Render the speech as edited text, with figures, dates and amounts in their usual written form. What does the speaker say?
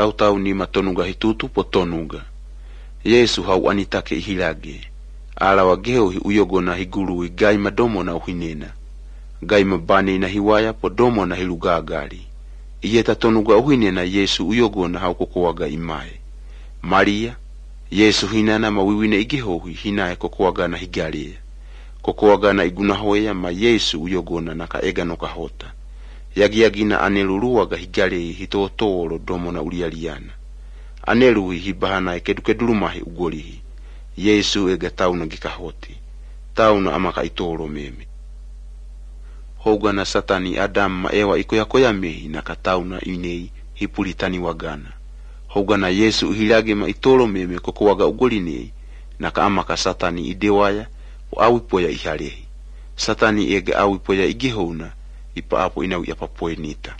Tau ni matonuga hitutu potonuga. Yesu hau anitake ihilage. Ala wageo hi uyogona higuru gai madomo na uhinena. Gai mabane na hiwaya podomo na hilugagari. Iyeta tonuga uhinena Yesu uyogona hau kokowaga imae. Maria, Yesu hinana mawiwine igihohi hinae kokowaga na higalia. Kokowaga na igunahoya ma Yesu uyogona na kaega no kahota. Yagiagina aneluruwaga higalia hitotoro domo na ulialiana. Aneluhi hibahana ekedukedurumahi ugolihi. Yesu ega tauna gikahoti. Tauna amaka itoro meme. Hoga na Satani Adam ma ewa ikoyakoya mehi na katauna inei hipulitani wagana. Hoga na Yesu uhilage ma itoro meme kokowaga ugolinei na kaamaka Satani idewaya o awipoya ihalehi. Satani ega awipoya igihona ipa apo inau yapapoenita.